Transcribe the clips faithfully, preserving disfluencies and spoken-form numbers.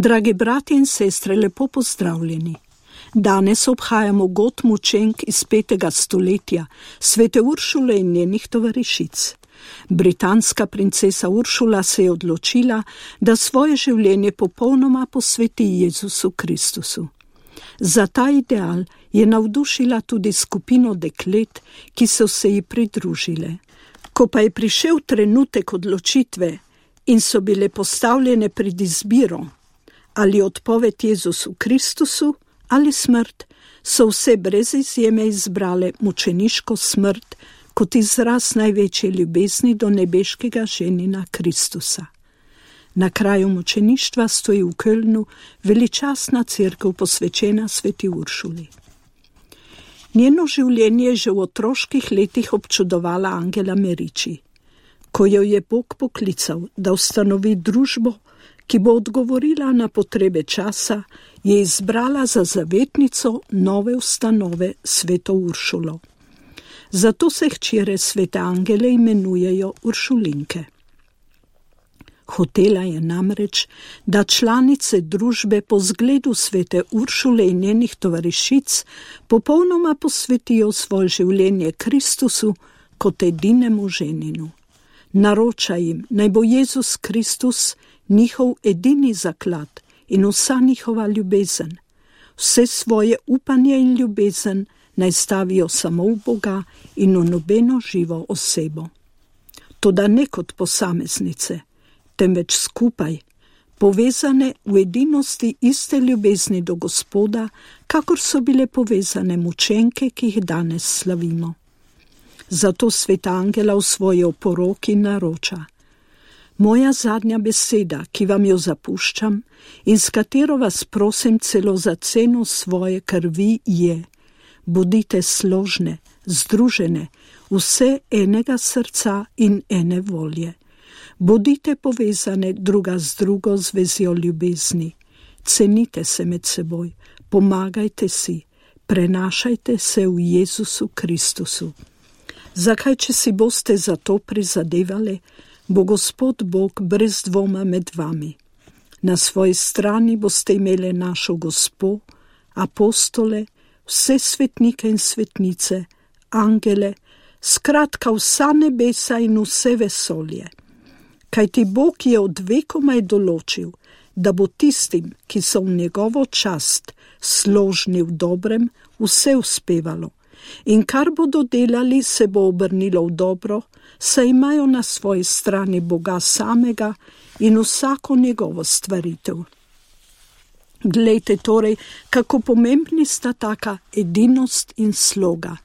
Dragi brati in sestre, lepo pozdravljeni. Danes obhajamo god mučenk iz petega stoletja, svete Uršule in njenih tovarišic. Britanska princesa Uršula se je odločila, da svoje življenje popolnoma posveti Jezusu Kristusu. Za ta ideal je navdušila tudi skupino deklet, ki so se ji pridružile. Ko pa je prišel trenutek odločitve in so bile postavljene pred izbiro, ali odpoved Jezusu Kristusu ali smrt, so vse brez izjeme izbrale mučeniško smrt kot izraz največje ljubezni do nebeškega ženina Kristusa. Na kraju mučeništva stoji v Kölnu veličastna cerkev posvečena sveti Uršuli. Njeno življenje je že v otroških letih občudovala Angela Merici. Ko jo je Bog poklical, da ustanovi družbo, ki bo odgovorila na potrebe časa, je izbrala za zavetnico nove ustanove sveto Uršulo. Zato se hčere svete Angele imenujejo Uršulinke. Hotela je namreč, da članice družbe po zgledu svete Uršule in njenih tovarišic popolnoma posvetijo svoje življenje Kristusu kot edinemu ženinu. Naroča jim, naj bo Jezus Kristus njihov edini zaklad in vsa njihova ljubezen. Vse svoje upanje in ljubezen naj stavijo samo v Boga in v nobeno živo osebo. Toda ne kot posameznice, temveč skupaj, povezane v edinosti iste ljubezni do Gospoda, kakor so bile povezane mučenke, ki jih danes slavimo. Zato sveta Angela v svoji oporoki naroča: moja zadnja beseda, ki vam jo zapuščam in s katero vas prosim celo za ceno svoje krvi, je: bodite složne, združene, vse enega srca in ene volje. Bodite povezane druga z drugo z vezjo ljubezni. Cenite se med seboj, pomagajte si, prenašajte se v Jezusu Kristusu. Zakaj, če si boste za to prizadevali, bo Gospod Bog brez dvoma med vami. Na svoji strani boste imeli našo Gospo, apostole, vse svetnike in svetnice, angele, skratka vsa nebesa in vse vesolje. Kajti Bog je od vekomaj določil, da bo tistim, ki so v njegovo čast složni v dobrem, vse uspevalo. In kar bodo delali, se bo obrnilo v dobro, saj imajo na svoji strani Boga samega in vsako njegovo stvaritev. Glejte torej, kako pomembni sta taka edinost in sloga.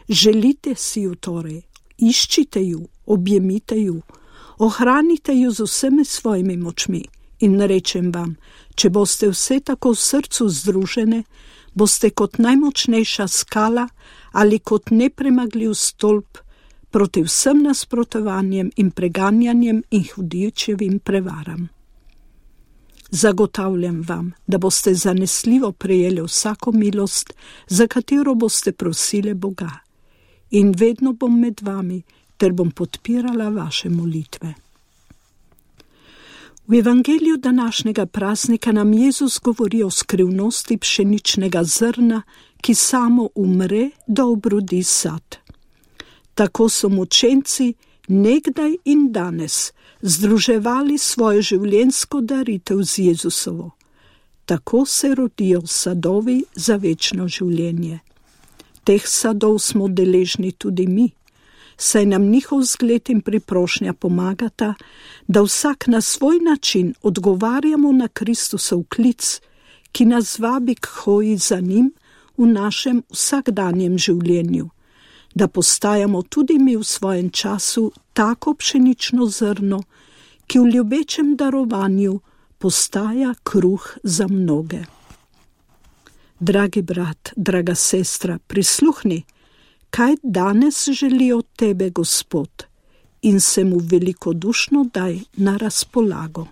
Želite si ju torej, iščite ju, objemite ju, ohranite ju z vsemi svojimi močmi in rečem vam, če boste vse tako v srcu združene, boste kot najmočnejša skala ali kot nepremagljiv stolp proti vsem nasprotovanjem in preganjanjem in hudičevim prevaram. Zagotavljam vam, da boste zanesljivo prejeli vsako milost, za katero boste prosili Boga. In vedno bom med vami, ter bom podpirala vaše molitve. V evangeliju današnjega praznika nam Jezus govori o skrivnosti pšeničnega zrna, ki samo umre, da obrodi sad. Tako so mučenci nekdaj in danes združevali svojo življenjsko daritev z Jezusovo. Tako se rodijo sadovi za večno življenje. Teh sadov smo deležni tudi mi, saj nam njihov zgled in priprošnja pomagata, da vsak na svoj način odgovarjamo na Kristusov klic, ki nas vabi k hoji za njim v našem vsakdanjem življenju, da postajamo tudi mi v svojem času tako pšenično zrno, ki v ljubečem darovanju postaja kruh za mnoge. Dragi brat, draga sestra, prisluhni, kaj danes želi od tebe Gospod, in se mu velikodušno daj na razpolago.